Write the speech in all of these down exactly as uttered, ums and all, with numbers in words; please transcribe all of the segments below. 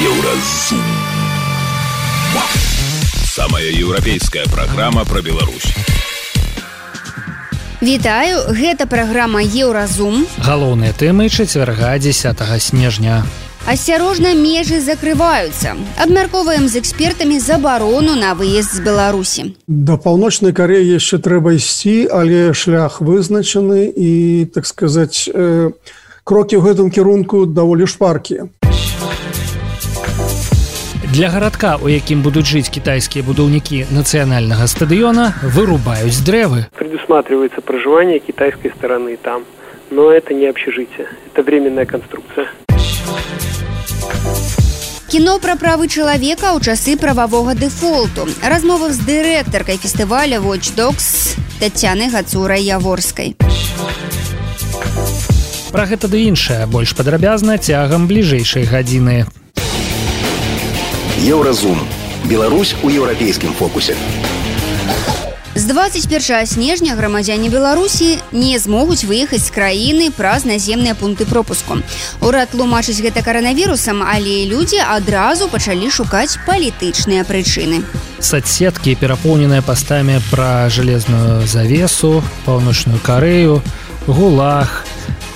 Еўразум. Самая еўрапейская праграма пра Беларусь. Вітаю, гэта праграма Еўразум. Галоўныя тэмы чацвярга дзесятага снежня. Асцярожна, межы закрываюцца. Абмяркоўваем з экспертамі забарону на выезд з Беларусі. Да паўночнай Карэі яшчэ трэба ісці, але шлях вызначаны і, так сказаць, э, крокі ў гэтым кірунку даволі шпаркія. Для гарадка, у якім будуць жыць кітайскія будаўнікі нацыянальнага стадыёна, вырубаюць дрэвы. Предусматривается проживание китайской стороны там, но это не общежитие, это временная конструкция. Кіно пра правы чалавека ў часы прававога дэфолту. Размова з дырэктаркай фестываля Watch Dogs Тацянай Гацурай-Яворскай. Пра гэта ды іншае больш падрабязна цягам бліжэйшай гадзіны. Еўразум. Беларусь у еўрапейскім фокусе. З двадцать першага снежня грамадзяне Беларусі не змогуць выехаць з краіны праз наземныя пункты пропуску. Урад тлумачыць гэта каранавірусам, але людзі адразу пачалі шукаць палітычныя прычыны. Соцсеткі, перапоўненыя пастамі пра жалезную завесу, паўночную Карэю, ГУЛАГ,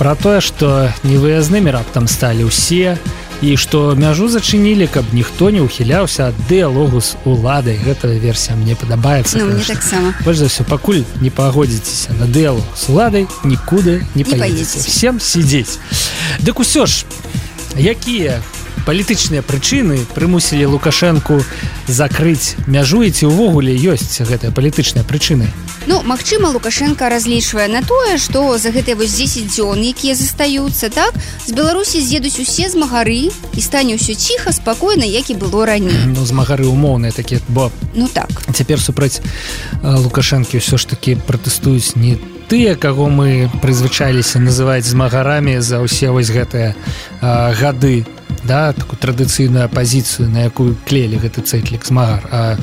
пра тое, што невыязнымі раптам сталі ўсе, і што мяжу зачынілі, каб ніхто не ўхіляўся ад дыялогу з уладай. Гэта версія мне падабаецца. Ну, мне таксама. Больш за ўсё, пакуль не пагодзіцеся на дыялог з уладай, нікуды не, не паедзеце. Всем сидзець. Дык усё ж, якія палітычныя прычыны прымусілі Лукашэнку закрыць мяжу, і ці ўвогуле ёсць гэтыя палітычныя прычыны? Ну, магчыма, Лукашенко разлічвае на тое, што за гэтыя вось дзесяць дзён, якія застаюцца, так, з Беларусі з'едуць усе змагары і стане ўсё ціха, спакойна, як і было раней. Ну, змагары умоўныя такія, бо ну так. Цяпер супраць Лукашэнкі ўсё ж такі пратэстуюць не тыя, каго мы прызвычаіліся называць змагарамі за ўсе вось гэтыя а, гады, да, такую традыцыйную апазіцыю, на якую клеілі гэты цэтлік змагар, а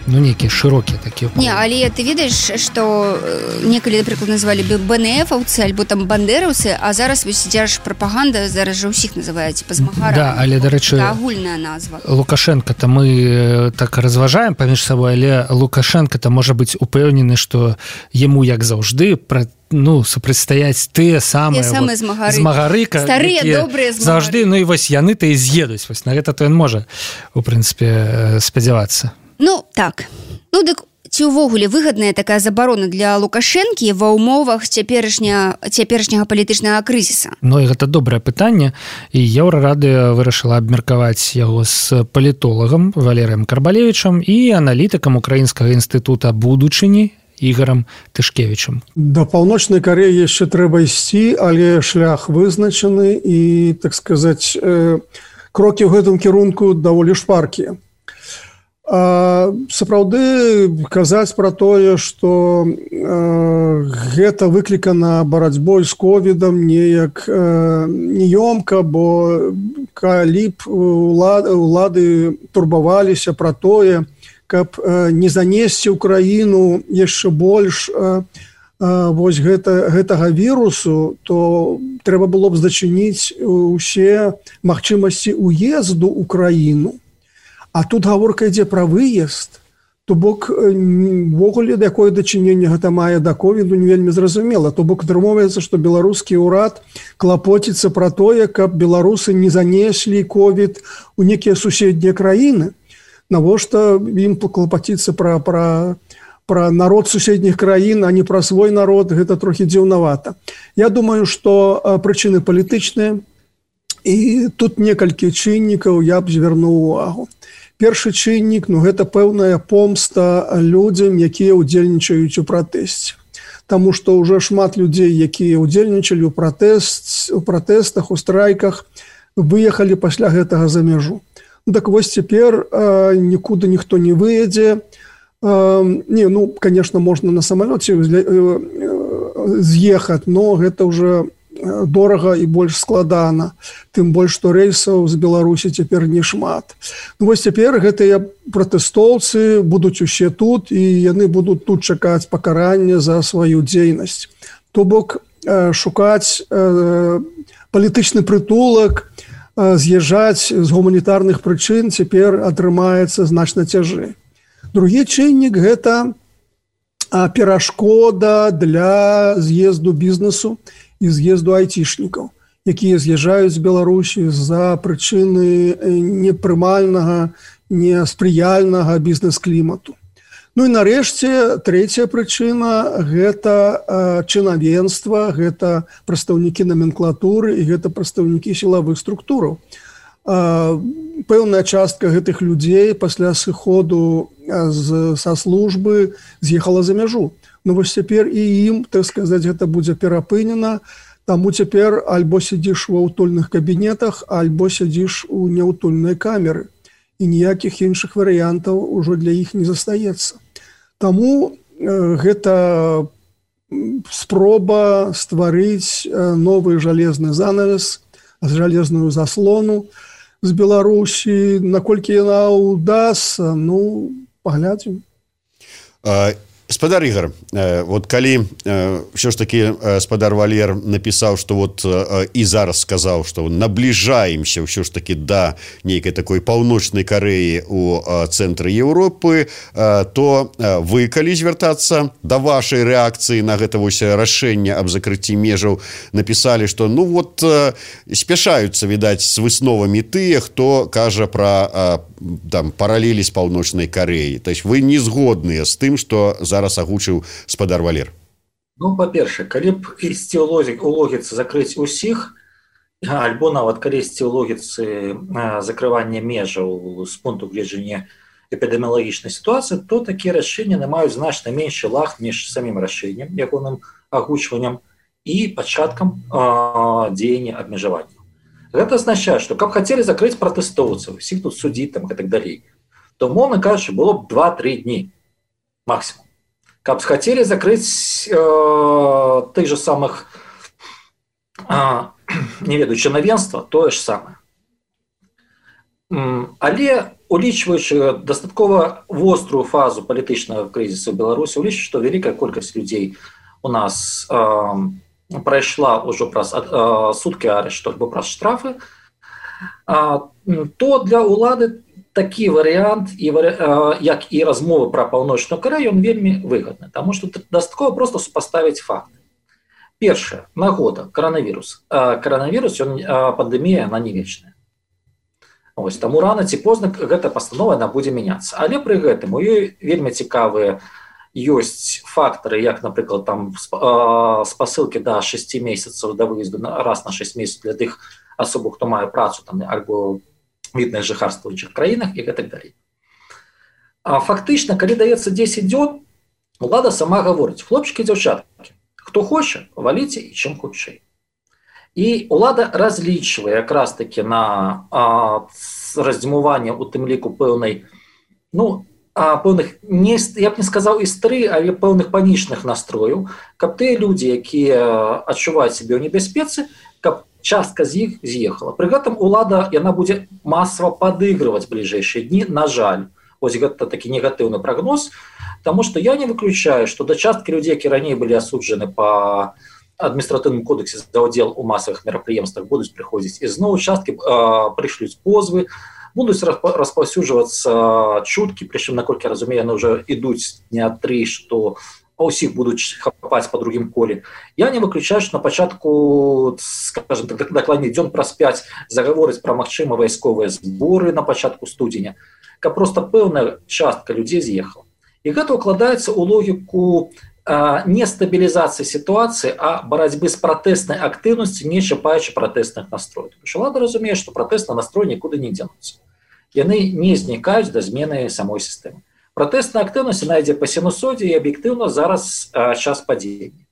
ну, нейкія шырокія такія. Не, але ты ведаеш, што некалі, напрыклад, назвалі БНФаўцы альбо там бандераўцы, а зараз вось дзярж прапаганда зараз жа ўсіх называе типа змагарамі. Да, але, дарэчы, агульная назва. Лукашенко-то мы так разважаем паміж сабой, але Лукашенко-то можа быць упэўнены, што яму, як заўжды, пра ну, супрацьстаяць тыя самыя, самыя вот, змагары, змагары, старыя, добрыя змагары. Заўжды, ну і вось яны-то і з'едуць. Вось на гэта то ён можа, у прынцыпе, спадзявацца. Ну, так. Ну, дык ці ўвогуле выгадная такая забарона для Лукашэнкі ва ўмовах цяперашня, цяперашняга палітычнага крызіса? Ну, і гэта добрае пытанне, і Еўрарадыё вырашыла абмеркаваць яго з палітолагам Валерыем Карбалевічам і аналітыкам Украінскага інстытута будучыні Ігорам Тышкевічам. Да паўночнай Карэі яшчэ трэба ісці, але шлях вызначаны і, так сказаць, э, крокі ў гэтым кірунку даволі шпаркія. А, сапраўды казаць пра тое, што э, гэта выклікана барацьбой з ковідам неяк э, неёмка, бо калі б улады, улады турбаваліся пра тое, каб э, не занесці ў краіну яшчэ больш э, э, вось гэта, гэтага вірусу, то трэба было б зачыніць усе магчымасці ўезду ў краіну. А тут гаворка ідзе пра выезд, то бок ввогуле якое дачыненне гэта мае да ковіду не вельмі зразумела. То бок атрымоўваецца, што беларускі ўрад клапоціцца пра тое, каб беларусы не занеслі ковід у некія суседнія краіны. Навошта ім клапаціцца пра, пра, пра народ суседніх краін, а не пра свой народ, гэта трохі дзіўнавата. Я думаю, што прычыны палітычныя, і тут некалькі чыннікаў я б звярнуў увагу. Першы чыннік, ну, гэта пэўная помста людзям, якія ўдзельнічаюць у пратэсце. Таму што ўжо шмат людзей, якія ўдзельнічалі ў пратэст, у пратэстах, у страйках, выехалі пасля гэтага за мяжу. Ну, так вось цяпер э, нікуды ніхто не выедзе. Э, не, ну, конечно, можна на самалёце э, э, з'ехаць, но гэта ўжо дорага і больш складана, тым больш, што рэйсаў з Беларусі цяпер не шмат. Ну, вось цяпер гэтыя пратэстоўцы будуць усе тут, і яны будуць тут чакаць пакарання за сваю дзейнасць. То бок, шукаць палітычны прытулак з'язджаць з гуманітарных прычын цяпер атрымаецца значна цяжэй. Другі чыннік – гэта перашкода для з'езду бізнесу і з'езду айцішнікаў, якія з'язджаюць з Беларусі з-за прычыны непрымальнага, неспрыяльнага бізнес-клімату. Ну і нарэшце, трэцяя прычына – гэта чынавенства, гэта прадстаўнікі номенклатуры і гэта прадстаўнікі сілавых структураў. Пэўная частка гэтых людзей пасля сыходу з, са службы з'ехала за мяжу. Ну вось цяпер і ім, так сказаць, гэта будзе перапынена, таму цяпер альбо сядзіш ва ўтульных кабінетах, альбо сядзіш у няўтульнай камеры. І ніякіх іншых варыянтаў ужо для іх не застаецца. Таму э, гэта спроба стварыць новы жалезны занавес, жалезную заслону з Беларусі. Наколькі яна ўдасца, ну, паглядзім. Спадар Ігор, вот калі ўсё ж такі спадар Валер напісаў, што вот і зараз сказаў, што набліжаемся ўсё ж такі да нейкай такой паўночнай Карэі у цэнтры Еўропы, то вы, калі звяртацца да вашай рэакцыі на гэта вось рашэнне аб закрыцці межаў, напісалі, што ну вот спяшаюцца, відаць, з высновамі тыя, хто кажа пра там паралелі з паўночнай Карэі. То есть вы не згодныя з тым, што зараз агучыў спадар Валер? Ну, па-першае, калі б ісці ў логіцы закрыць усіх, альбо нават калі ісці ў логіцы закрывання межаў з пункту гледжання эпідэміялагічнай сітуацыі, то такія рашэнні не маюць значна меншы лаг між самім рашэннем, ягоным агучваннем і пачаткам дзеяння абмежавання. Гэта азначае, што каб хацелі закрыць пратэстоўцаў, усіх тут судзіць там і так далей, то, умоўна кажучы, было б два-тры дні максимум. Каб хацелі закрыць э, тых же самых э, не ведаю, чынавенства, тое ж самае. Але, улічваючы дастаткова вострую фазу палітычнага крызісу ў Беларусі, улічваючы, што вялікая колькасць людзей у нас э, прайшла ўжо праз э, суткі арышту або праз штрафы, э, то для ўлады такі варыянт, і, як і размовы пра паўночную Карэю, ён вельмі выгадны, таму што дастаткова проста супаставіць факты. Першае, нагода, каранавірус. Каранавірус, ён, пандэмія, яна не вечная. Ось, таму рана ці позна гэта пастанова, яна будзе мяняцца. Але пры гэтым у ёй вельмі цікавыя ёсць фактары, як, напрыклад, там спасылкі да шасці месяцаў да выезду раз на шэсць месяцаў для тых асобаў, хто мае працу там альбо відных жыхарства ў іншых краінах і гэтак далей. А фактычна, калі даецца дзесяць дзён, улада сама гаворыць: хлопчыкі і дзяўчаткі, хто хоча, валіце і чым хутчэй. І улада разлічвае якраз такі на а, раздзімуванне, у тым ліку пэўнай, ну, а, пэўных, не, я б не сказаў істры, але пэўных панічных настрояў, каб тыя людзі, якія адчуваюць сябе ў небяспецы, каб частка з іх з'ехала. Пры гэтым улада, яна будзе масава падыгрываць бліжэйшыя дні, на жаль. Вось гэта такі негатыўны прагноз, таму што я не выключаю, што да часткі людзей, які раней былі асуджаны па адміністратыўным кодексе за ўдзел у масавых мерапрыемствах, будуць прыходзіць ізноў, часткі прышлюць позвы, будуць распаўсюджвацца чуткі, прычым, наколькі я разумею, яны ўжо ідуць не тры, што а ўсіх будуць хапаць па другім коле. Я не выключаю, што на пачатку, скажем так, дакладней дзён праз пяць загаворыць пра магчымыя вайсковыя зборы на пачатку студзеня, каб проста пэўная частка людзей з'ехала. І гэта ўкладаецца ў логіку а, не стабілізацыі сітуацыі, а барацьбы з пратэснай актыўнасцю, не чапаючы пратэсных настрояў. Улада разумее, што пратэсны настрой нікуды не дзенуцца. Яны не знікаюць да змены самой сістэмы. Пратэсная актыўнасць найдзе па сінусодзе, і аб'ектыўна зараз а, час падзення.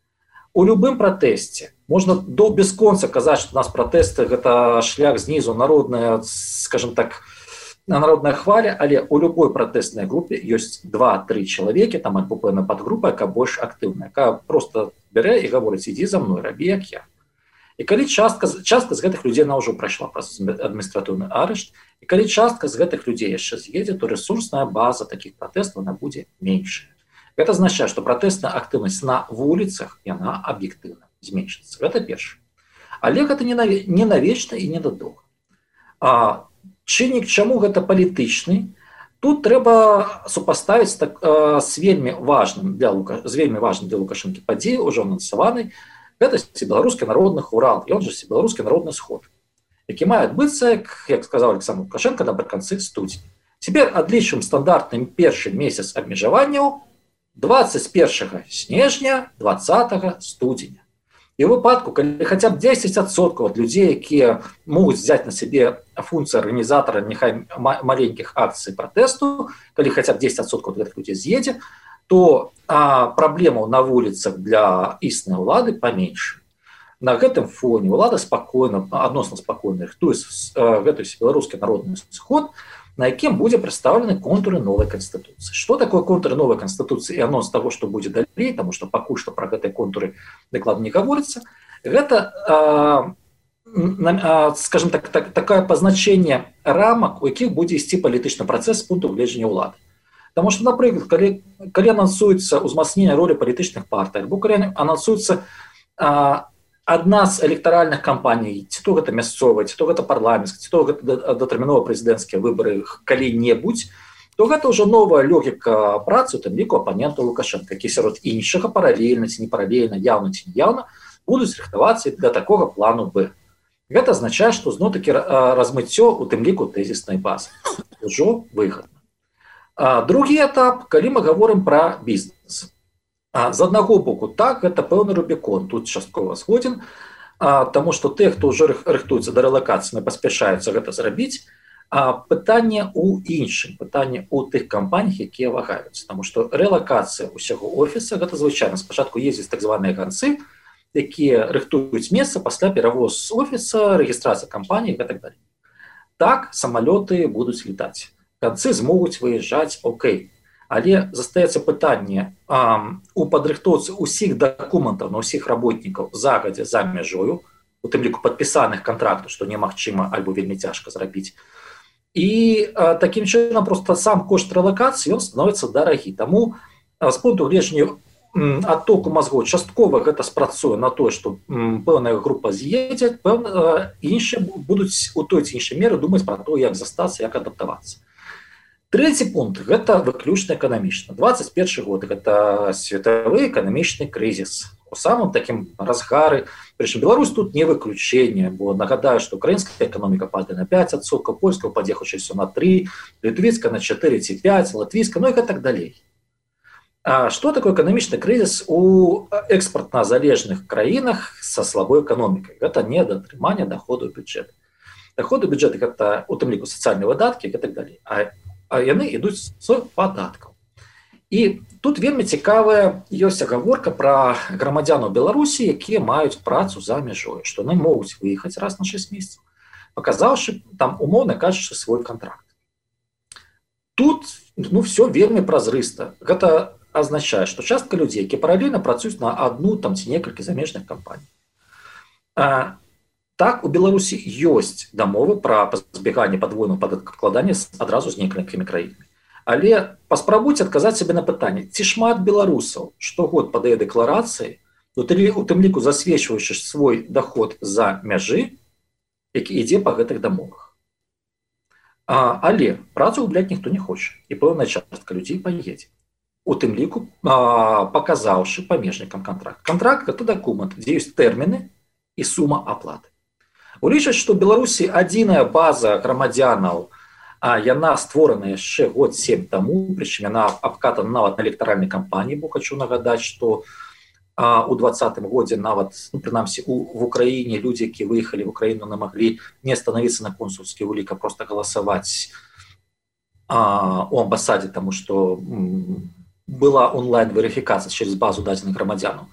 У любым пратэсце можна до бесконца казаць, што у нас пратэсты гэта шлях знізу, народная, скажем так, народная хваля, але у любой пратэснай групе ёсць два-тры чалавекі, там альбо пэўная падгрупа, якая больш актыўная, якая проста бярэ і гаворыць: ідзі за мной, рабі як я. І калі частка, частка з гэтых людзей она ўжо прайшла праз адміністратыўны арышт, і калі частка з гэтых людзей яшчэ з'едзе, то рэсурсная база такіх пратэстаў она будзе меншая. Гэта азначае, што пратэсная актыўнасць на вуліцах, яна аб'ектыўна зменшыцца. Гэта першае. Але гэта не навечна і не надоўга. А чыннік чаму гэта палітычны? Тут трэба супаставіць так, э, з вельмі важным для Лука, з вельмі важным для Лукашэнкі падзеі, ўжо анансаванай, гэта всебеларускі народны хурал, і он же всебеларускі народны сход, які мае адбыцца, як, як сказаў Александр Лукашенко, напрыканцы студзеня. Цяпер адлічым стандартны першы месяц абмежаванняў двадцать первого снежня, двадцатого студзеня. І ў выпадку, калі хаця б дзесяць адсоткаў ад людзей, якія могуць взяць на сябе функцыю арганізатара няхай маленькіх акцый пратэсту, калі хаця б дзесяць адсоткаў ад гэтых людзей з'едзе, то а, праблемаў на вуліцах для існай улады паменьше. На гэтым фоне ўлада спакойна, адносна спакойна рыхтуе гэты беларускі народны сход, на якім будзе прадстаўлены контуры новай канстытуцыі. Што такое контуры новай канстытуцыі і анонс таго, што будзе далей, таму што пакуль што пра гэтыя контуры дакладна не гаворыцца, гэта, а, а, скажем так, так, такое пазначэнне рамак, у якіх будзе ісці палітычны працэс з пункту гледжання ўлады. Таму што, напрыклад, калі, калі анансуецца ўзмацненне ролі палітычных партый, або калі анансуецца а, адна з электаральных кампаній, ці то гэта мясцовая, ці то гэта парламенцкая, ці то гэта датэрмінова прэзідэнцкія выбары калі-небудзь, то гэта ўжо новая логіка працы, у тым ліку апанентаў Лукашэнка, які сярод іншага паралельна ці непаралельна, яўна ці неяўна будуць рыхтавацца для такога плану Б. Гэта азначае, што зноў-такі размыццё у тым ліку тэзіснай базы ўжо выгадна. Другі этап, калі мы гаворым пра бізнес. З аднаго боку, так, гэта пэўны рубікон, тут часткова згодзін, таму што тыя, хто ўжо рыхтуецца да рэлакацыі, паспяшаюцца гэта зрабіць, а пытанне ў іншым, пытанне ў тых кампаніях, якія вагаюцца, таму што рэлакацыя ўсяго офіса, гэта звычайна, спачатку ездзяць так званыя ганцы, якія рыхтуюць месца, пасля перавоз з офіса, рэгістрацыя кампаніі і так далей. Так, самалёты будуць летаць, ганцы змогуць выязджаць, окей. Але застаецца пытанне а, у падрыхтоўцы ўсіх дакументаў на ўсіх работнікаў загадзя за мяжою, у тым ліку падпісаных кантрактаў, што немагчыма альбо вельмі цяжка зрабіць. І а, такім чынам проста сам кошт рэлакацыі ён становіцца дарагі. Таму а, з пункту гледжання адтоку мазгоў часткова гэта спрацуе на тое, што м, пэўная група з'едзе, пэўна іншыя будуць у той ці іншай меры думаць пра то, як застацца, як адаптавацца. Трэці пункт – гэта выключна эканамічна. двадцать першы год – гэта светавы эканамічны крызіс. У самым такім разгары. Прычым Беларусь тут не выключэнне, бо нагадаю, што украінская эканоміка падае на пяць адсоткаў, польская ўпадзе хутчэй усё на тры, літвійская на чатыры ці пяць, латвійская, ну і так далей. А што такое эканамічны крызіс у экспартна-залежных краінах са слабой эканомікай? Гэта недатрыманне даходу бюджэта. Даходы бюджэта – гэта у тым ліку сацыяльныя выдаткі і так далей. А а яны ідуць з падаткаў. І тут вельмі цікавая ёсць агаворка пра грамадзянаў Беларусі, якія маюць працу за мяжой, што яны могуць выехаць раз на шэсць месяцаў, паказаўшы там умоўна кажучы свой кантракт. Тут ну, все вельмі празрыста. Гэта азначае, што частка людзей, якія паралельна працуюць на адну там ці некалькі замежных кампаній. А, Так, у Беларусі ёсць дамовы пра пазбеганне падвойнага падаткаабкладання адразу з некалькімі краінамі. Але паспрабуйце адказаць сабе на пытанне, ці шмат беларусаў штогод падае дэкларацыі, у тым ліку засведчваючы свой даход за мяжы, які ідзе па гэтых дамовах. А, але працу губляць ніхто не хоча, і пэўная частка людзей паедзе. У тым ліку а, паказаўшы памежнікам кантракт. Кантракт – гэта дакумент, дзе ёсць тэрміны і сума аплаты. Улічаць, што ў Беларусі адзіная база грамадзянаў, а яна створана яшчэ год сем таму, прычым яна абкатана нават на электаральнай кампаніі, бо хочу нагадаць, што а, у двадцатым годзе нават, ну, прынамсі, у, в Украіне людзі, якія выехалі в Украіну, не маглі не станавіцца на консульскі улік, а проста галасаваць а, у амбасадзе, таму што м, была онлайн-верыфікацыя через базу дадзеных грамадзянаў.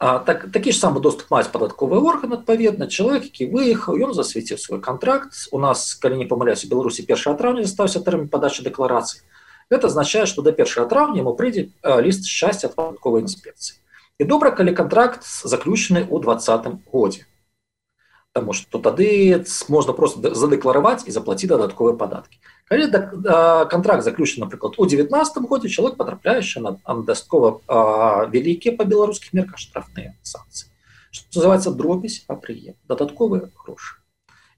А, так, такі ж самы доступ маюць падатковы орган, адпаведна, чалавек, які выехаў, ён засвеціў свой кантракт. У нас, калі не памыляюсь, у Беларусі першага траўня застаўся тэрмін падачы дэкларацыі. Гэта азначае, што да першага траўня яму прыйдзе ліст шчасця ад падатковай інспекцыі. І добра, калі кантракт заключаны ў двадцатым годзе. Таму што тады можна проста задэклараваць і заплаціць дадатковыя падаткі. Калі кантракт заключаны, напрыклад, у дзевятнаццатым годзе, чалавек патрапляе на дастаткова вялікія па беларускіх мерках штрафныя санкцыі. Што называецца дробязь па прыем, дадатковыя грошы.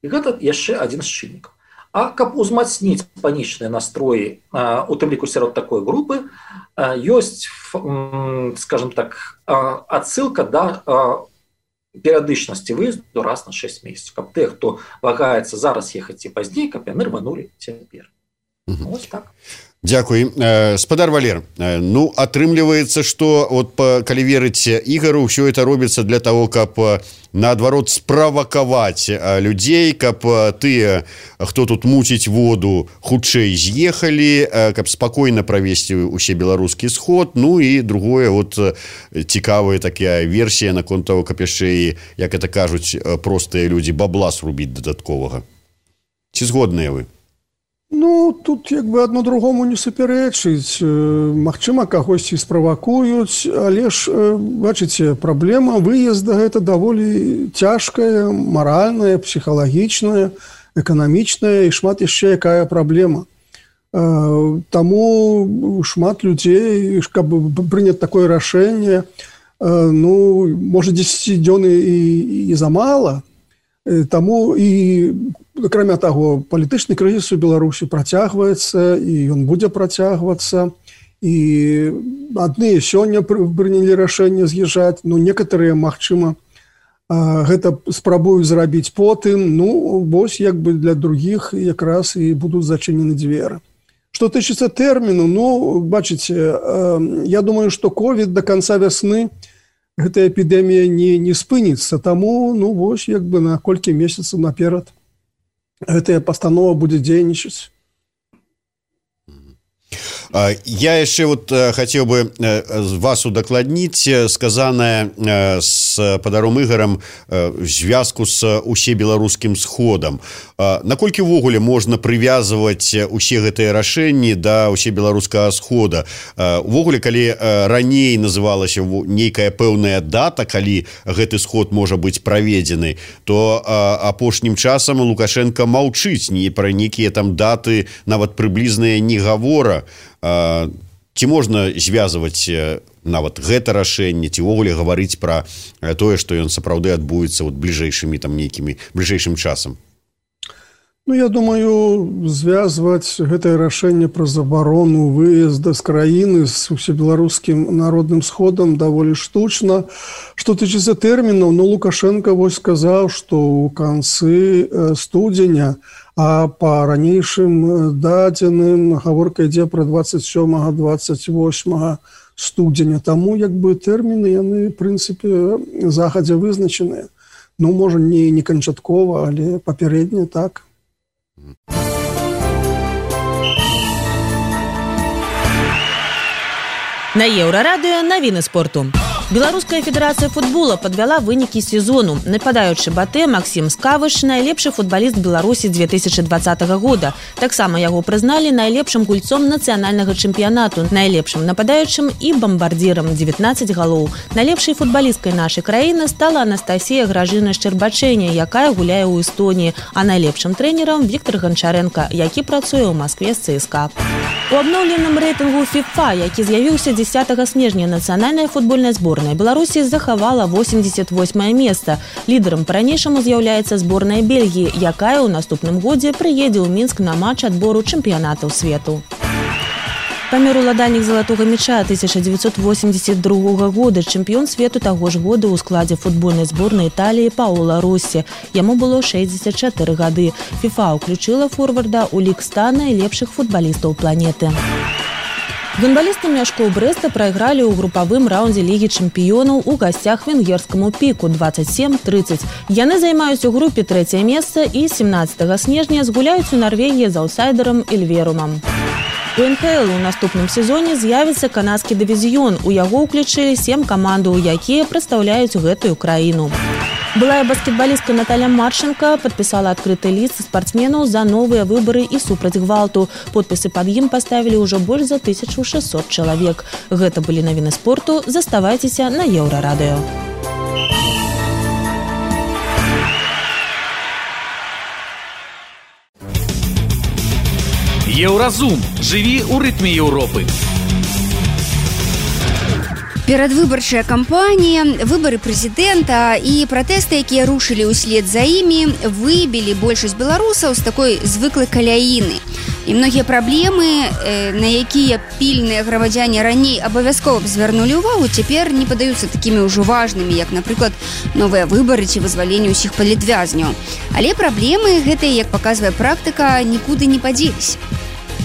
І гэта яшчэ адзін з чыннікаў. А каб узмацніць панічныя настроі, у тым ліку сярод такой групы, ёсць, скажем так, адсылка да перыядычнасці выезду раз на шэсць месяцаў, каб тыя, хто вагаецца зараз ехаць ці пазней, каб яны рванулі цяпер. Вось так. Дзякуй. Спадар Валер, ну, атрымліваецца, што вот, калі верыць Ігару, ўсё это робіцца для того, каб наадварот справакаваць людзей, каб тыя, хто тут муціць воду, хутчэй з'ехалі, каб спакойна правесці ўсе беларускі сход. Ну і другое, вот цікавая такая версія наконт того, каб яшчэ і, як это кажуць простыя людзі, бабла срубіць дадатковага. Ці згодныя вы? Ну, тут як бы адно другому не супярэчыць. Магчыма, кагосьці справакуюць, але ж, бачыце, праблема выезда гэта даволі цяжкая, маральная, псіхалагічная, эканамічная і шмат яшчэ якая праблема. Таму шмат людзей, каб прыняць такое рашэнне, ну, можа, дзесяць дзён і, і замала. Таму і, акрамя таго, палітычны крызіс у Беларусі працягваецца, і ён будзе працягвацца. І адны сёння прынялі рашэнне з'язджаць, ну, некаторыя, магчыма, гэта спрабуюць зрабіць потым. Ну, вось, як бы для другіх якраз і будуць зачынены дзверы. Што тычыцца тэрміну, ну, бачыце, я думаю, што ковід да канца вясны гэта эпідэмія не, не спыніцца, таму, ну, вось, як бы на колькі месяцаў наперад гэтая пастанова будзе дзейнічаць. Я яшчэ вот хацеў бы вас удакладніць сказанае с падаром Ігарам звязку з усебеларускім сходам. Наколькі ўвогуле можна прывязваць усе гэтыя рашэнні да усебеларускага схода? Увогуле, калі раней называлася нейкая пэўная дата, калі гэты сход можа быць праведзены, то апошнім часам Лукашенко маўчыць не пра нейкія там даты, нават прыблізныя не гавора. Ці можна звязваць нават гэта рашэнне, ці ўвогуле гаварыць пра тое, што ён сапраўды адбудзецца вот бліжэйшымі там нейкімі бліжэйшым часам? Ну, я думаю, звязваць гэтае рашэнне пра забарону выезда з краіны з усебеларускім народным сходам даволі штучна. Што тычыцца тэрмінаў, ну, Лукашенко вось сказаў, што ў канцы студзеня, а па ранейшым дадзеным гаворка ідзе пра дваццаць сёмага - дваццаць восьмага студзеня. Таму як бы тэрміны яны, в прынцыпе, загадзя вызначаныя. Ну, можа, не, не канчаткова, але папярэдне так. На Еўрарадыё навіны спорту. Беларуская федэрацыя футбола падвяла вынікі сезону. Нападаючы Батэ Максім Скавыш найлепшы футбаліст Беларусі две тысячы двадцатага года. Таксама яго прызналі найлепшым гульцом нацыянальнага чэмпіянату, найлепшым нападаючым і бамбардзірам дзевятнаццаць галоў. Найлепшай футбалісткай нашай краіны стала Анастасія Гражына Шчэрбачэня, якая гуляе ў Эстоніі, а найлепшым трэнерам Віктор Ганчаренко, які працуе ў Маскве з ЦСКА. У абноўленым рэйтынгу FIFA, які з'явіўся дзесятага снежня, нацыянальная футбольная зборная Беларусі захавала восемьдесят восьмае месца. Лідарам па-ранейшаму з'яўляецца зборная Бельгіі, якая ў наступным годзе прыедзе ў Мінск на матч адбору чэмпіянатаў свету. Памер уладальнік залатога мяча тысяча дзевяцьсот восемьдесят другога года, чэмпіён свету таго ж года ў складзе футбольнай зборнай Італіі Паоло Россі. Яму было шэсцьдзесят чатыры гады. FIFA ўключыла форварда ў лік ста найлепшых футбалістаў планеты. Гандбалісты Мяшкоў Брэста прайгралі ў групавым раўндзе Лігі чэмпіёнаў у гасцях венгерскаму Піку дваццаць сем трыццаць. Яны займаюць у групе трэцяе месца і семнаццатага снежня згуляюць у Нарвегіі з аўсайдерам Эльверумам. У эн ха эл у наступным сезоне з'явіцца канадскі дывізіён. У яго ўключылі сем камандаў, якія прадстаўляюць гэтую краіну. Былая баскетбалістка Наталья Марченко падпісала адкрыты ліст спартсменаў за новыя выбары і супраць гвалту. Подпісы пад ім паставілі ўжо больш за тысячу шэсцьсот чалавек. Гэта былі навіны спорту. Заставайцеся на Еўрарадыё. Еўразум. Жыві ў рытме Еўропы. Перадвыбарчая кампанія, выбары прэзідэнта і пратэсты, якія рушылі ўслед за імі, выбілі большасць беларусаў з такой звыклай каляіны. І многія праблемы, на якія пільныя грамадзяне раней абавязкова б звярнулі ўвагу, цяпер не падаюцца такімі ўжо важнымі, як, напрыклад, новыя выбары ці вызваленне ўсіх палітвязняў. Але праблемы гэтыя, як паказвае практыка, нікуды не падзеліся.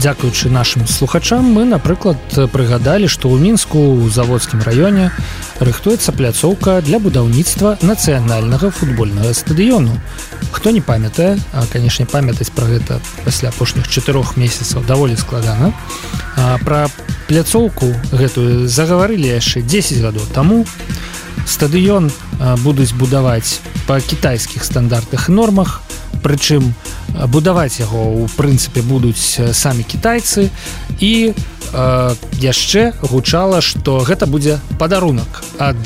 Дзякуючы нашим слухачам мы, напрыклад, прыгадалі, што ў Мінску у заводскім раёне рыхтуецца пляцоўка для будаўніцтва нацыянальнага футбольнага стадыёну. Хто не памятае, а, канешне, памятаць пра гэта пасля апошніх чатырох месяцаў даволі складана. А, пра пляцоўку гэтую загаварылі яшчэ дзесяць гадоў таму. Стадыён а, будуць будаваць па кітайскіх стандартах і нормах, прычым будаваць яго ў прынцыпе будуць самі кітайцы і э, яшчэ гучала, што гэта будзе падарунак ад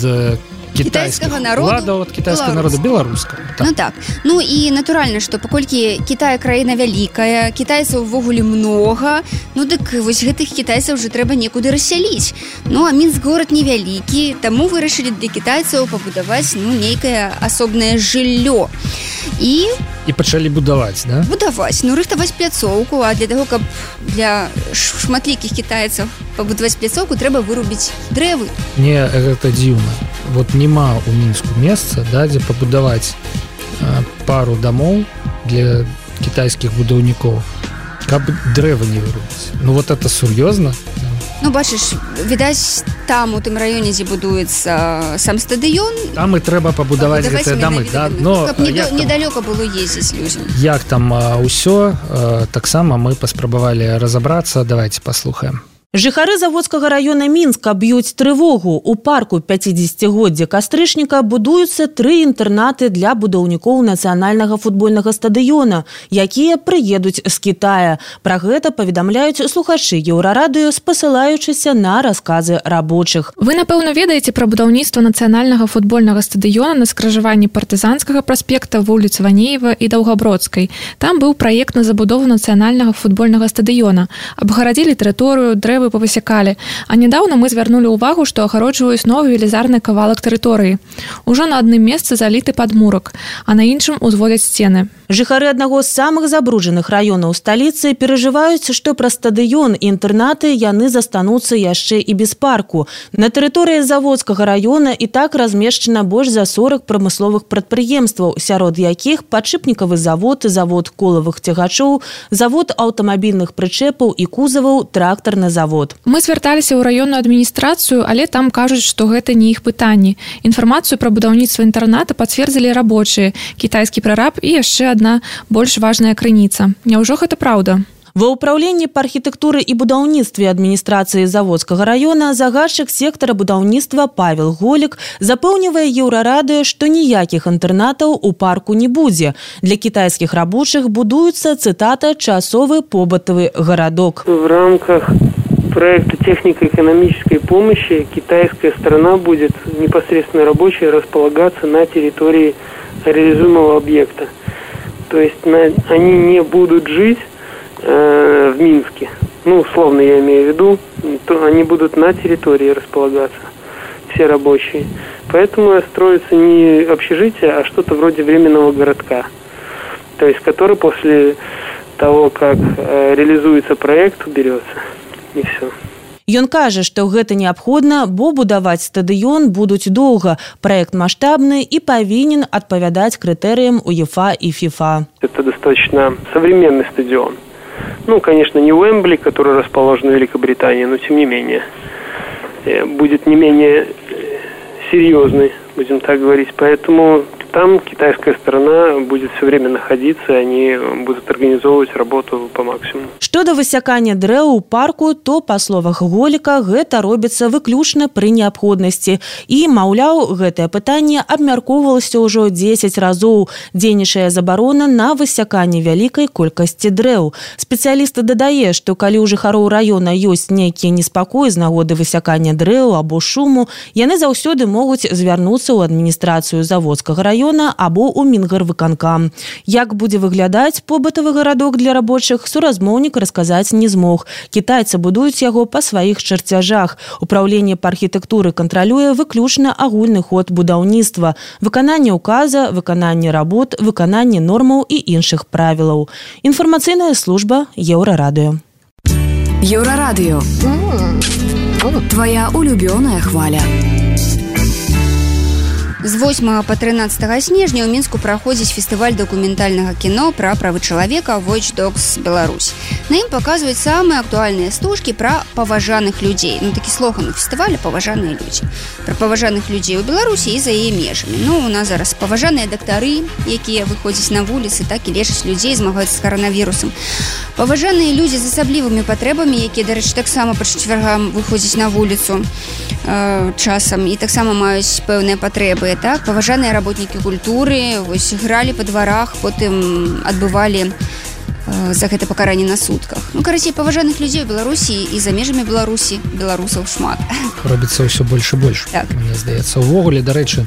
кітайскага народу, ад кітайскага народа беларускага. Так. Ну так. Ну і натуральна, што паколькі Кітай краіна вялікая, кітайцаў увогуле многа, ну дык вось гэтых кітайцаў уже трэба некуды рассяліць. Ну а Мінск горад невялікі, таму вырашылі для кітайцаў пабудаваць ну нейкае асобнае жыллё. І і пачалі будаваць, да? Будаваць, ну рыхтаваць пляцоўку, а для таго, каб для шматлікіх кітайцаў пабудаваць пляцоўку, трэба вырубіць дрэвы. Не, гэта дзіўна. Вот няма ў Мінску месца, да, дзе пабудаваць а, пару дамоў для кітайскіх будаўнікоў, каб дрэвы не вырубіць. Ну вот это сур'ёзна? Ну, бачыш, відаць, там, у тым раёне, дзе будуецца сам стадыён... Там і трэба пабудаваць гэтыя дамы, да? Но, каб недо, недалёка было ездзіць людзям. Як там ўсё, таксама мы паспрабавалі разабрацца. Давайте паслухаем. Жыхары заводскага раёна Мінска б'юць трывогу. У парку пяцідзесяцігоддзя кастрычніка будуюцца тры інтэрнаты для будаўнікоў нацыянальнага футбольнага стадыёна, якія прыедуць з Кітая. Пра гэта паведамляюць слухачы Еўрарадыё, спасылаючыся на расказы рабочых. Вы, напэўна, ведаеце пра будаўніцтва нацыянальнага футбольнага стадыёна на скражаванні партызанскага праспекта, вуліц Ванеева і Даўгабродскай. Там быў праект на забудову нацыянальнага футбольнага стадыёна. Абгарадзілі тэрыторыю, дрэвы павысякалі. А нядаўна мы звярнулі ўвагу, што агароджваюць новы велізарны кавалак тэрыторыі. Ужо на адным месцы заліты падмурак, а на іншым узводзяць сцены. Жыхары аднаго з самых забруджаных раёнаў сталіцы перажываюць, што пра стадыён і інтэрнаты яны застануцца яшчэ і без парку. На тэрыторыі заводскага раёна і так размешчана больш за сорак прамысловых прадпрыемстваў, сярод якіх падшипнікавы завод, завод колавых цягачоў, завод аўтамабільных прычэпаў і кузаваў, трактарны завод. Мы звярталіся ў раённую адміністрацыю, але там кажуць, што гэта не іх пытанні. Інфармацыю пра будаўніцтва інтэрната пацвердзілі рабочыя, кітайскі прараб і яшчэ адна больш важная крыніца. Няўжо гэта праўда? Ва ўпраўленні па архітэктуры і будаўніцтве адміністрацыі заводскага раёна загадчык сектара будаўніцтва Павел Голік запэўнівае Еўрарадыё, што ніякіх інтэрнатаў у парку не будзе. Для кітайскіх рабочых будуецца, цытата, часовы побытавы гарадок. В рамках проекта технико-экономической помощи китайская сторона будет непосредственно рабочая располагаться на территории реализуемого объекта. То есть на, они не будут жить э, в Минске. Ну, условно я имею в виду, то они будут на территории располагаться, все рабочие. Поэтому строится не общежитие, а что-то вроде временного городка. То есть который после того, как э, реализуется проект, уберется. І все. Ён кажа, што гэта неабходна, бо будаваць стадыён будуць доўга. Праект маштабны і павінен адпавядаць крытэрыям УЕФА и ФИФА. Это достаточно современный стадион. Ну, конечно, не Уэмбли, который расположен в Великобритании, но тем не менее. Будет не менее серьезный, будем так говорить. Поэтому там китайская сторона будет все время находиться, и они будут организовывать работу по максимуму. Што да высякання дрэў у парку, то, па словах Голіка, гэта робіцца выключна пры неабходнасці. І, маўляў, гэтае пытанне абмяркоўвалася ўжо дзесяць разоў. Дзейнічае забарона на высяканне вялікай колькасці дрэў. Спецыялісты дадае, што калі ў жыхароў раёна ёсць нейкія неспакоі з нагоды высякання дрэў або шуму, яны заўсёды могуць звярнуцца ў адміністрацыю заводскага раёна раёна або ў Мінгарвыканкам. Як будзе выглядаць побытавы гарадок для рабочых, суразмоўнік расказаць не змог. Кітайцы будуюць яго па сваіх чарцяжах. Управленне па архітэктуры кантралюе выключна агульны ход будаўніцтва, выкананне указа, выкананне работ, выкананне нормаў і іншых правілаў. Інфармацыйная служба Еўрарадыё. Еўрарадыё. Твоя улюбёная хваля. З восьмага па трынаццатае снежня ў Мінску праходзіць фестываль дакументальнага кіно пра правы чалавека Watch Dogs Беларусь. На ім паказваюць самыя актуальныя стужкі пра паважаных людзей. Ну, такі слоган у фестываля «Паважаныя людзі». Пра паважаных людзей у Беларусі і за яе межамі. Ну, у нас зараз паважаныя дактары, якія выходзяць на вуліцы, так і лечаць людзей, змагаюцца з каранавірусам. Паважаныя людзі з асаблівымі патрэбамі, якія, дарэчы, таксама па чацвяргам выходзяць на вуліцу э, часам і таксама маюць пэўныя патрэбы. Так, паважаныя работнікі культуры вось гралі па дварах, потым адбывалі э, за гэта пакаранне на сутках. Ну, карацей, паважаных людзей у Беларусі і за межамі Беларусі беларусаў шмат. Робіцца ўсё больш і больш, так. Мне здаецца. Увогуле, дарэчы,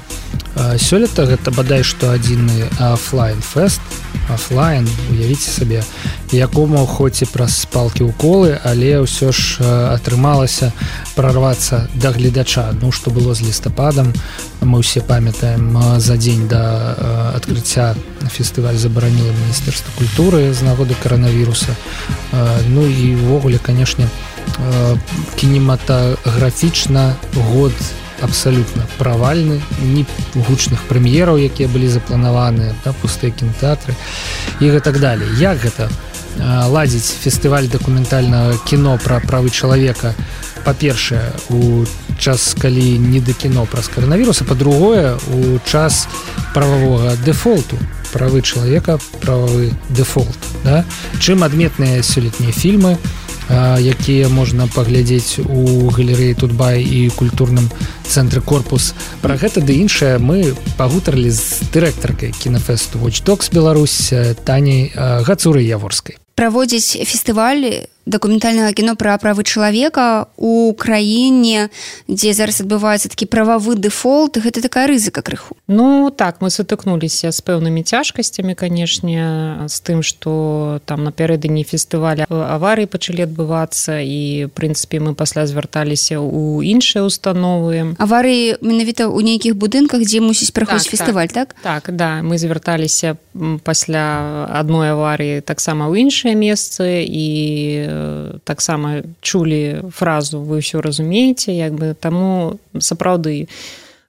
сёлета гэта бадай што адзіны афлайн-фэст, афлайн, уявіце сабе, якому хоць і праз палкі уколы, але ўсё ж атрымалася прарвацца да гледача. Ну, што было з лістападам, мы ўсе памятаем, за дзень да адкрыцця фестываль забараніла Міністэрства культуры з нагоды каранавіруса. Ну і ўвогуле, канешне, кінематаграфічна год абсалютна правальны, ні гучных прэм'ераў, якія былі запланаваны, да, пустыя кінотэатры і гэтак далей. Як гэта ладзіць фестываль дакументальнага кіно пра правы чалавека, па-першае, у час, калі не да кіно праз каранавірус, а па-другое, у час прававога дэфолту, правы чалавека, прававы дэфолт, да? Чым адметныя сёлетнія фільмы, якія можна паглядзець у галерэі Тутбай і культурным цэнтры Корпус. Пра гэта ды іншае мы пагутарылі з дырэктаркай кінафэсту Watch Dogs Беларусь Таняй Гацурай Яворскай. Праводзіць фестываль дакументальнага кіно пра правы чалавека у краіне, дзе зараз адбываецца такі прававы дэфолт, гэта такая рызыка крыху. Ну так, мы сутыкнуліся з пэўнымі цяжкасцямі, канешне, з тым, што там напярэдадні фестываля аварыі пачалі адбывацца і, в прынцыпе, мы пасля звярталіся ў іншыя установы. Аварыі менавіта ў нейкіх будынках, дзе мусіць праходзіць так, фестываль, так? Так, так, да, мы звярталіся пасля адной аварыі таксама ў іншыя месцы і таксама чулі фразу «вы ўсё разумееце», як бы, таму сапраўды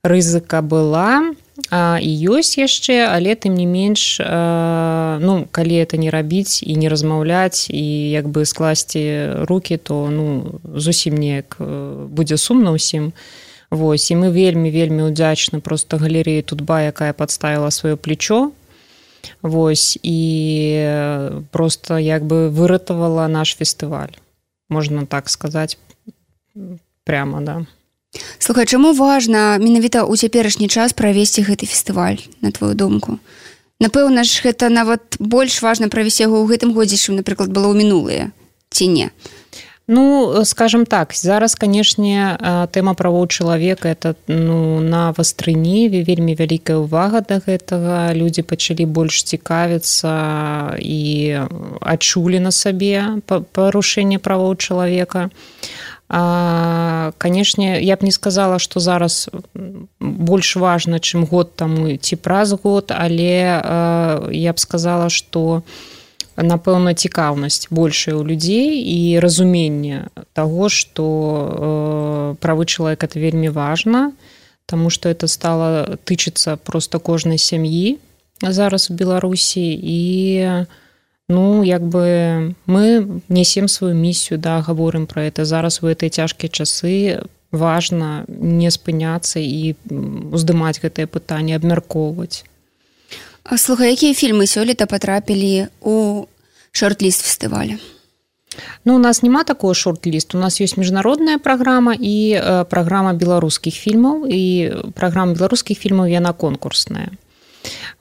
рызыка была а, і ёсць яшчэ, але тым не менш, а, ну, калі это не рабіць і не размаўляць і як бы скласці рукі, то ну, зусім неяк будзе сумна ўсім. Вось, і мы вельмі-вельмі ўдзячны проста галерэі Тутба, якая падставіла сваё плечо. Вось, і просто як бы выратавала наш фестываль, можна так сказаць прямо, да. Слухай, чаму важна менавіта ў цяперашні час правесці гэты фестываль, на твою думку? Напэўна ж, гэта нават больш важна правесці яго ў гэтым годзе, чым, напрыклад, было ў мінулыя, ці не? Ну, скажем так, зараз, канешне, тэма правоў чалавека это ну, на вастрыні, вельмі вялікая ўвага да гэтага. Людзі пачалі больш цікавіцца і адчулі на сабе парушэнне правоў чалавека. А, канешне, я б не сказала, што зараз больш важна, чым год таму ці праз год, але а, я б сказала, што напэўна, цікаўнасць большая ў людзей і разуменне таго, што э, правы чалавека это вельмі важна, таму што это стала тычыцца проста кожнай сям'і зараз у Беларусі і ну, як бы мы несем сваю місію, да, гаворым пра это. Зараз у гэтыя цяжкія часы важна не спыняцца і уздымаць гэтае пытанне, абмяркоўваць. Слухай, якія фільмы сёлета патрапілі ў шорт-ліст фестываля? Ну, у нас няма такого шорт-ліст. У нас ёсць міжнародная праграма і э, праграма беларускіх фільмаў. І праграма беларускіх фільмаў, яна конкурсная.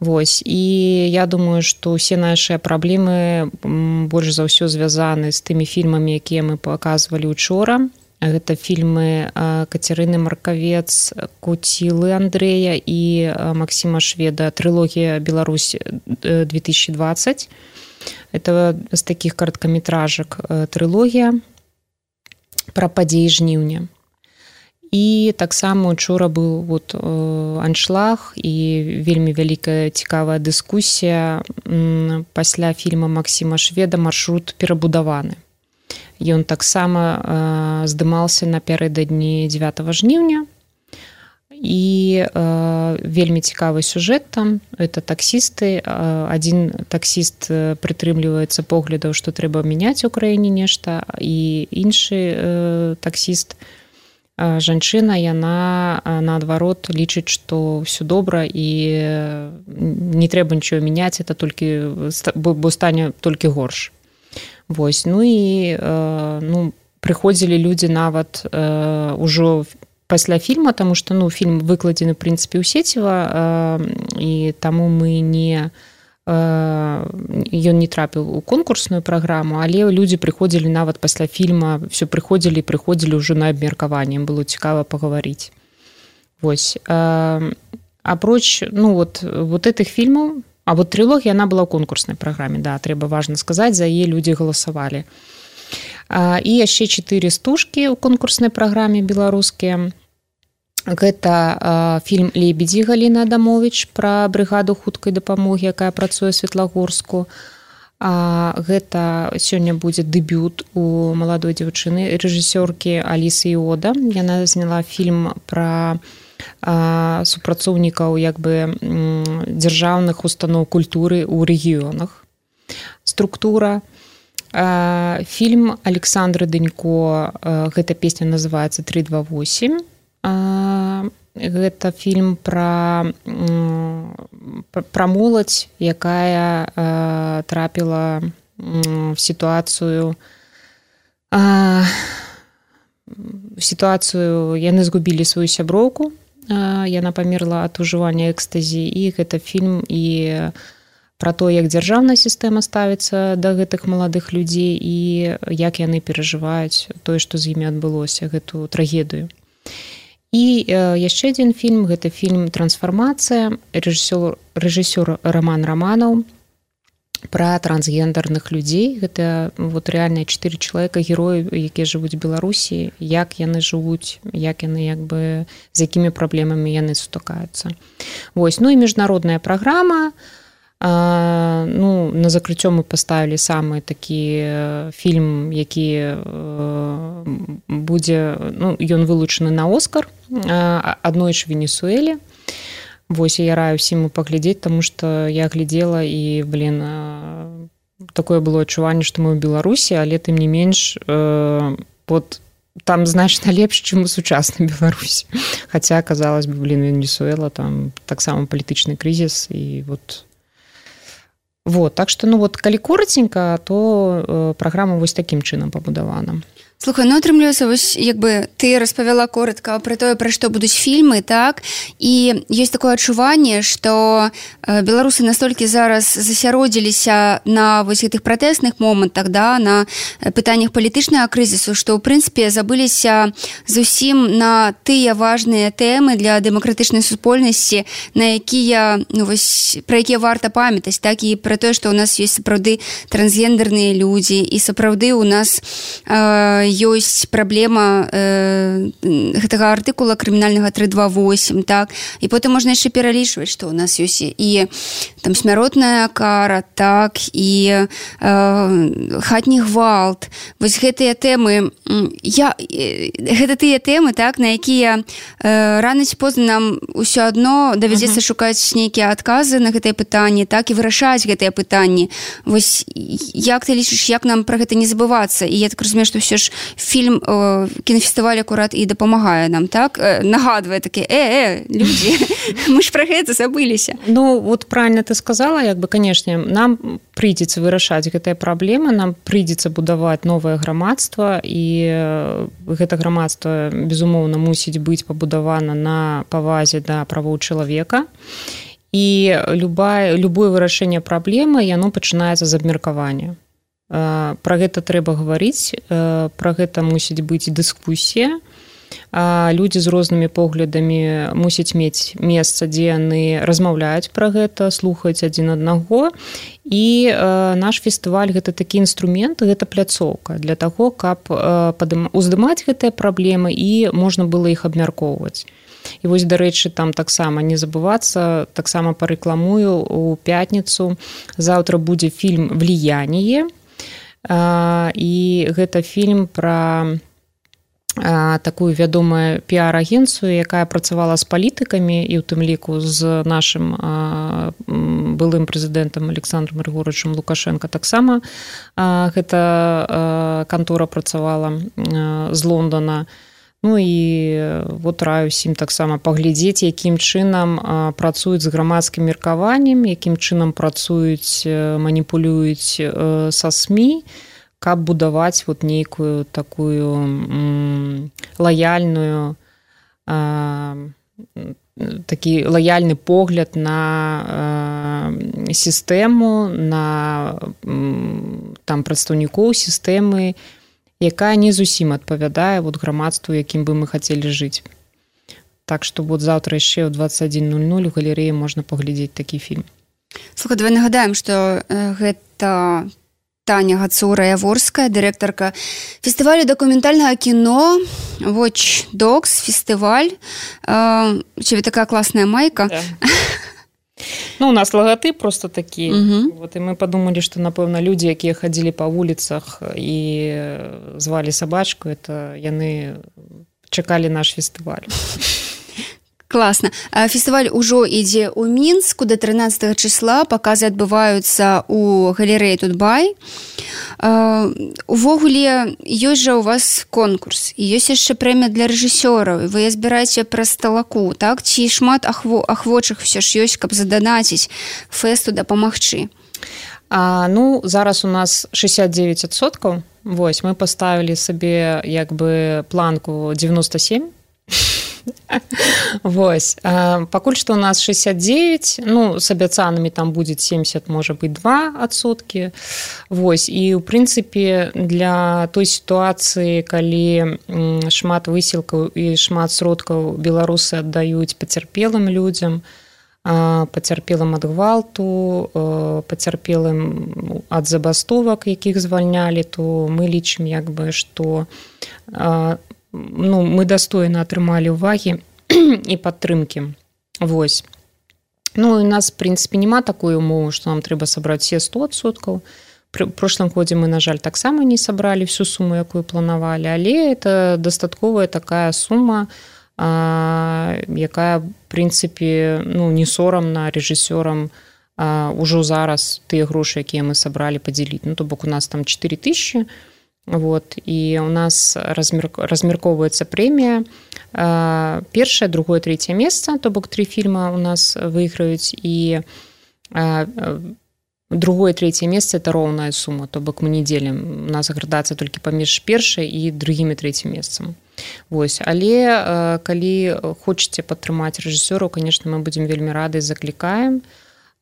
Вось. І я думаю, што ўсе нашыя праблемы больш за ўсё звязаны з тымі фільмамі, якія мы паказвалі учора. Гэта фільмы Кацярыны Маркавец, Куцілы Андрэя і Максіма Шведа, трылогія «Беларусь две тысячи двадцать». Это з такіх кароткаметражак трылогія пра падзеі жніўня. І таксама учора быў вот, аншлаг і вельмі вялікая цікавая дыскусія пасля фільма Максіма Шведа «Маршрут перабудаваны». Ён таксама здымаўся напярэдадні дзевятага жніўня. І э, вельмі цікавы сюжэт там. Это таксісты. Адзін таксіст прытрымліваецца поглядаў, што трэба мяняць у краіне нешта, і іншы э, таксіст, э, жанчына, яна наадварот лічыць, што ўсё добра і не трэба нічого мяняць, это толькі, бо стане толькі горш. Вось. Ну і э, ну, прыходзілі людзі нават э, ужо пасля фільма, таму што ну, фільм выкладзены, в прынцыпе, ў сеціва, э, і таму мы не... Э, ён не трапіў у конкурсную праграму, але людзі прыходзілі нават пасля фільма, все прыходзілі і прыходзілі ўжо на абмеркаванне, было цікава пагаварыць. Вось. Э, апроч ну, вот, вот этих фільмаў, а вот трилогія, она была ў конкурснай праграме, да, трэба важна сказаць, за яе людзі галасавалі. І яшчэ чатыры стужкі ў конкурснай праграме беларускія. Гэта фільм «Лебедзі» Галіны Адамовіч пра брыгаду хуткай дапамогі, якая працуе ў Светлагорску. Гэта сёння будзе дэбют у маладой дзяўчыны, рэжысёркі Алісы Іода. Яна зняла фільм пра супрацоўнікаў як бы дзяржаўных устаноў культуры ў рэгіёнах. Структура. Фільм Александры Дынько, гэта песня называецца тры два восемь. Гэта фільм пра, пра моладзь, якая трапіла в сітуацыю сітуацыю, яны згубілі сваю сяброўку, яна памерла ад ужывання экстазі, і гэта фільм і пра то, як дзяржаўная сістэма ставіцца да гэтых маладых людзей і як яны перажываюць тое, што з імі адбылося, гэту трагедыю. І яшчэ адзін фільм, гэта фільм «Трансфармацыя», рэжысёр, рэжысёр Роман Романаў, пра трансгендерных людзей. Гэта вот рэальна чатыры чалавека, героі, якія жывуць у Беларусі, як яны жывуць, як яны як бы з якімі праблемамі яны сутыкаюцца. Вось. Ну і міжнародная праграма. А, ну, на закрыццё мы паставілі самы такі фільм, які будзе, ну, ён вылучаны на Оскар, аднойчы в Венесуэле. Вось, я раю ўсім паглядзець, таму што я глядзела і, блин, такое было адчуванне, што мы ў Беларусі, але тым не менш, вот, там значна лепш, чым у сучаснай Беларусі. Хаця, казалось бы, блин, Венесуэла, там таксама палітычны крызіс, і вот... Вот, так што, ну, вот, калі коротенька, то э, праграма вось такім чынам пабудавана. Слухай, ну атрымліваецца, вось як бы ты распавяла коротка пра тое, пра што будуць фільмы, так, і ёсць такое адчуванне, што беларусы настолькі зараз засяродзіліся на вось гэтых пратэсных момантах, да, на пытаннях палітычнага крызісу, што ў прынцыпе забыліся зусім на тыя важныя тэмы для дэмакратычнай супольнасці, на якія, ну, вось, пра якія варта памятаць, так, і пра тое, што ў нас ёсць сапраўды трансгендерныя людзі, і сапраўды ў нас э, ёсць праблема э, гэтага артыкула крымінальнага тры два восемь, так, і потым можна яшчэ пералічваць, што ў нас ёсць і там смяротная кара, так, і э, хатні гвалт. Вось гэтыя тэмы, я, гэта тыя тэмы, так, на якія э, рана ці позна нам ўсё адно давядзецца uh-huh. шукаць нейкія адказы на гэтыя пытанні, так, і вырашаць гэтыя пытанні. Вось як ты лічыш, як нам пра гэта не забывацца? І я так разумею, што ўсё ж фільм э, кінафестываль акурат і дапамагае нам, так, э, нагадвае такі, э, э, людзі, мы ж пра гэта забыліся. Ну, вот правильно ты сказала, як бы, конечно, нам прыйдзецца вырашаць гэтыя праблемы, нам прыйдзецца будаваць новае грамадства, і гэта грамадства, безумоўна, мусіць быць пабудавана на павазе да правоў чалавека, і любое, любое вырашэнне праблемы, яно пачынаецца з абмеркавання. Па пра гэта трэба гаварыць, пра гэта мусіць быць дыскусія. Людзі з рознымі поглядамі мусяць мець месца, дзе яны размаўляюць пра гэта, слухаюць адзін аднаго. І наш фестываль гэта такі інструмент, гэта пляцоўка для таго, каб уздымаць гэтыя праблемы і можна было іх абмяркоўваць. І вось, дарэчы, там таксама не забывацца, таксама парэкламую у пятніцу. Заўтра будзе фільм «Влияние». І гэта фільм пра такую вядомую піар-агенцыю, якая працавала з палітыкамі і ў тым ліку з нашым былым прэзідэнтам Александром Григорьевичем Лукашенко. Таксама гэта кантора працавала з Лондона. Ну і вот раю ўсім таксама паглядзець, якім чынам працуюць з грамадскім меркаваннем, якім чынам працуюць, маніпулююць са СМІ, каб будаваць вот нейкую такую м, лаяльную а, такі лаяльны погляд на а, сістэму, на м, там прадстаўнікоў сістэмы, якая не зусім адпавядае вот грамадству, якім бы мы хацелі жыць. Так што вот заўтра яшчэ ў двадцать один ноль ноль у галерэі можна паглядзець такі фільм. Слухай, давай нагадаем, што гэта Таня Гацура-Яворская, дырэктарка фестывалю дакументальнага кіно Watch Dogs фестываль. У цябе такая класная майка. Да. Ну, у нас лагатып просто такі. Угу. Вот, і мы падумалі, што, напэўна, людзі, якія хадзілі па вуліцах і звалі сабачку, это яны чакалі наш фестываль. Класна. Фестываль ужо ідзе ў Мінску да трынаццатага числа, паказы адбываюцца ў галерэі Тутбай. Увогуле, ёсць жа у вас конкурс, і ёсць яшчэ прэмія для рэжысёраў, вы збіраеце праз талаку, так? Ці шмат ахво, ахвочых ўсё ж ёсць, каб заданаціць фэсту дапамагчы? А, ну, зараз у нас шестьдесят девять адсоткаў. Вось, мы паставілі сабе як бы планку девяносто семь. Вось. Пакуль што у нас шестьдесят девять, ну, з абяцанымі там будзе семьдесят, можа быць, два адсоткі. Вось. І, ў прынцыпе, для той сітуацыі, калі шмат высілкаў і шмат сродкаў беларусы аддаюць пацярпелым людзям, пацярпелым ад гвалту, пацярпелым ад забастовак, якіх звальнялі, то мы лічым, як бы, што ну, мы дастойна атрымалі ўвагі і падтрымкі. Вось. Ну, у нас, в прынцыпе, няма такой умовы, што нам трэба сабраць все сто адсоткаў. Пры прошлым годзе мы, на жаль, таксама не сабралі всю суму, якую планавалі, але это дастатковая такая сума, а, якая, в прынцыпе, ну, не сорамна рэжысёрам а, ужо зараз тыя грошы, якія мы сабралі, падзяліць. Ну, то бок у нас там четыре тысячи. Вот, і у нас размер, размяркоўваецца прэмія. Першае, другое, трэцяе месца, то бок тры фільма у нас выйграюць, і другое, трэцяе месца это роўная сума, то бок мы не дзелім. У нас градацыя толькі паміж першай і другім і трэцім месцам. Вось, але калі хочаце падтрымаць рэжысёраў, конечно, мы будзем вельмі рады, заклікаем.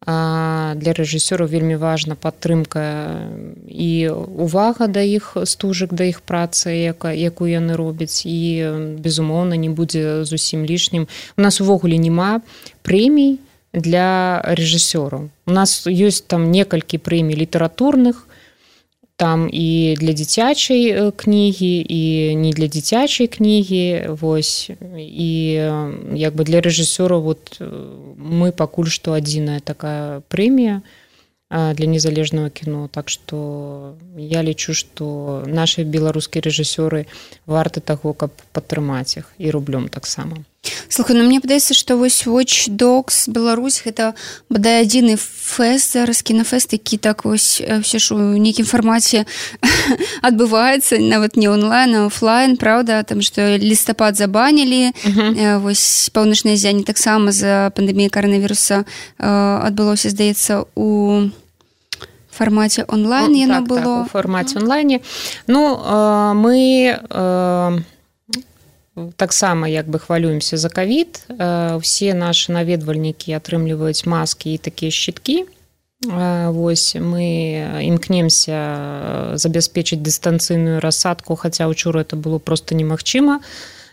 Для рэжысёраў вельмі важна падтрымка і увага да іх стужак, да іх працы, якую яны робяць, і, безумоўна, не будзе зусім лішнім. У нас увогуле няма прэмій для рэжысёраў. У нас ёсць там некалькі прэмій літаратурных, там і для дзіцячай кнігі, і не для дзіцячай кнігі, вось, і як бы для рэжысёраў вот мы пакуль што адзіная такая прэмія для незалежнага кіно, так што я лічу, што нашы беларускія рэжысёры варты таго, каб падтрымаць іх, і рублём таксама. Слухай, ну мне падаецца, што вось Watch Dogs Беларусь гэта бадай адзіны фэст зараз, кінафэст, які так вось все ж у нейкім фармаце адбываецца, нават не онлайн, а офлайн, правда, там што лістапад забанілі, uh-huh. вось паўночнае ззянне таксама з-за пандэміі каранавіруса адбылося, здаецца, у фармаце онлайн яно так, было. Так, у фармаце онлайне. Ну, мы таксама як бы хвалюемся за ковід. Все наши наведвальнікі атрымліваюць маскі і такія шчыткі. Вось мы імкнемся забяспечыць дыстанцыйную рассадку, хаця ўчора это было просто немагчыма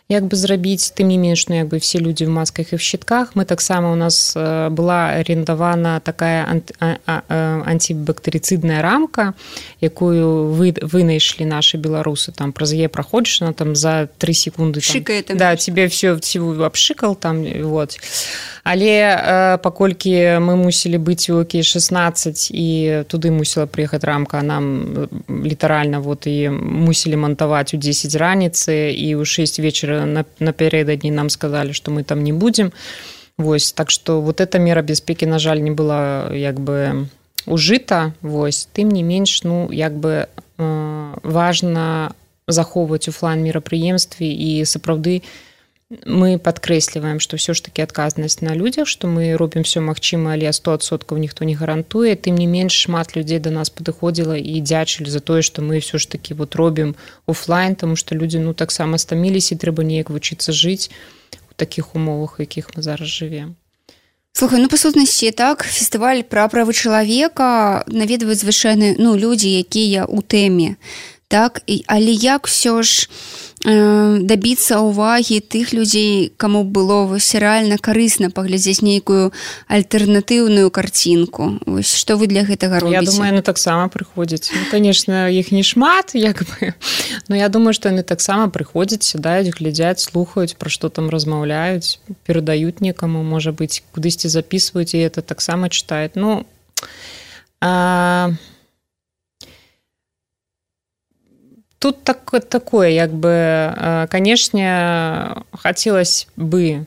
як бы зрабіць, тым не менш, ну, як бы все людзі в масках і в щитках. Мы таксама, у нас была арендавана такая анти, а, а, антибактэрыцыдная рамка, якую вы, вынайшлі нашы беларусы, там праз яе праходзіш, она там за три секунды там, шикает, да, тебе все абшыкал там, вот. Але паколькі мы мусілі быць у Окей шестнадцать і туды мусіла прыехаць рамка, а нам літаральна вот і мусілі мантаваць у десять раніцы і ў шесть вечера напярэдадні нам сказалі, што мы там не будзем. Вось, так што вот эта мера бяспекі, на жаль, не была як бы ужыта. Вось, тым не менш, ну як бы важна захоўваць офлайн мерапрыемствы і сапраўды мы падкрэсліваем, што ўсё ж такі адказнасць на людзях, што мы робім все магчыма, але сто адсоткаў ніхто не гарантуе. Тым не менш, шмат людзей да нас падыходзіла і дзячылі за тое, што мы ўсё ж такі вот робім офлайн, таму што людзі ну таксама стаміліся і трэба неяк вучыцца жыць у такіх умовах, у якіх мы зараз жывем. Слухай, ну па сутнасці так, фестываль пра правы чалавека наведваюць звычайна ну людзі, якія ў тэме. Так, але як все ж э, дабіцца ўвагі тых людзей, каму было вось рэальна карысна паглядзець нейкую альтэрнатыўную карцінку. Вось што вы для гэтага робіце? Я думаю, яны таксама прыходзяць. Ну, конечно, іх не шмат, як бы, но я думаю, што яны таксама прыходзяць, сядаюць, глядзяць, слухаюць, пра што там размаўляюць, перадаюць некаму, можа быць, кудысьці запісваюць, і это таксама чытаюць. Ну, а... Тут так, такое, як бы, конечно, хотелось бы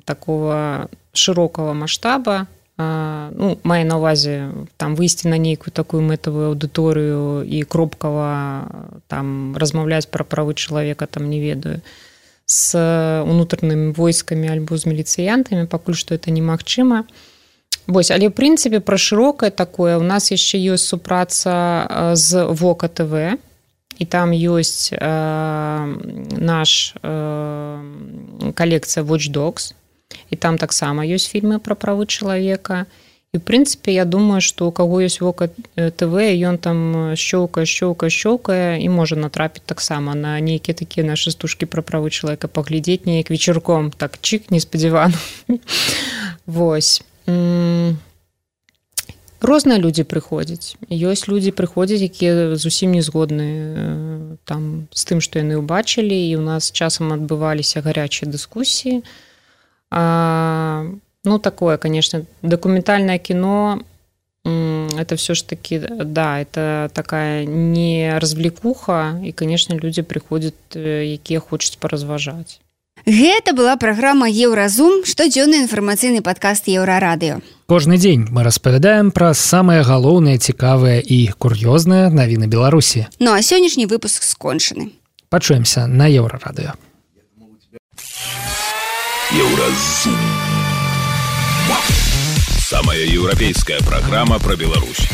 такого широкого масштаба, ну, маю на увазе, там, выйсці на нейкую такую мэтавую аўдыторыю і кропкава там размаўляць пра правы чалавека, там, не ведаю, з унутранымі войскамі альбо з міліцыянтамі, пакуль што это немагчыма. Вось, але, в прынцыпе, пра шырокае такое, у нас яшчэ ёсць супраца з Вока ТВ, і там ёсць э, наш э, калекцыя Watch Dogs, і там таксама ёсць фільмы пра правы чалавека. І, в прынцыпе, я думаю, што у каго ёсць Вока ТВ, ён там щёлкае, щёлкае, щёлкае, і можа натрапіць таксама на нейкія такія нашы стужкі пра правы чалавека, паглядзець неяк вечарком, так, чик, неспадзявана. Вось. Розныя людзі прыходзяць. Ёсць людзі прыходзяць, якія зусім не згодны там з тым, што яны ўбачылі, і ў нас часам адбываліся гарячыя дыскусіі. А, ну, такое, конечно, документальное кино, это все ж таки, да, это такая не развлекуха, и, конечно, люди приходят, якія хочуць паразважаць. Гэта была праграма Еўразум, штодзённы інфармацыйны падкаст Еўрарадыё. Кожны дзень мы распавядаем пра самыя галоўныя, цікавыя і кур'ёзныя навіны Беларусі. Ну а сённяшні выпуск скончаны. Пачуемся на Еўрарадыё. Еўразум. Самая еўрапейская праграма пра Беларусь.